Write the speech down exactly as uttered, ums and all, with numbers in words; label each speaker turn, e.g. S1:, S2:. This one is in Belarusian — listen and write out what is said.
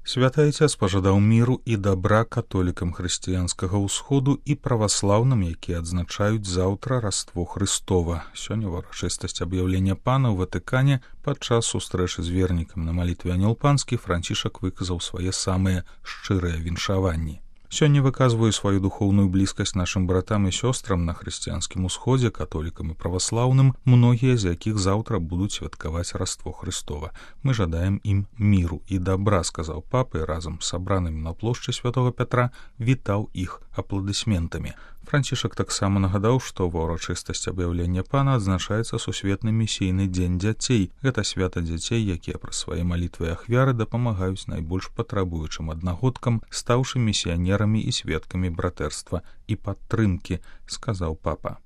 S1: Святы Айцец пажадаў міру і дабра католікам хрысціянскага ўсходу і праваслаўным, якія адзначаюць заўтра Раство Хрыстова. Сёння ўрачыстасць аб'яўлення пана ў Ватыкане падчас сустрэчы з вернікам на малітве Анёл Панскі Францішак выказаў свае самыя шчырыя віншаванні. Сёння выказваю сваю духоўную блізкасць нашым братам і сёстрам на хрысціянскім усходзе, католікам і праваслаўным, многія з якіх заўтра будуць святкаваць Раство Хрыстова. Мы жадаем ім міру і дабра, сказаў папа і разам з сабранымі на плошчы Святога Пятра вітаў іх апладысментамі. Францішак таксама нагадаў, што ва ўрачыстасць аб'яўлення пана адзначаецца сусветны місійны дзень дзяцей. Гэта свята дзяцей, якія праз свае малітвы і ахвяры дапамагаюць найбольш патрабуючым аднагодкам, стаўшы місіянерамі і сведкамі братэрства і падтрымкі, сказаў папа.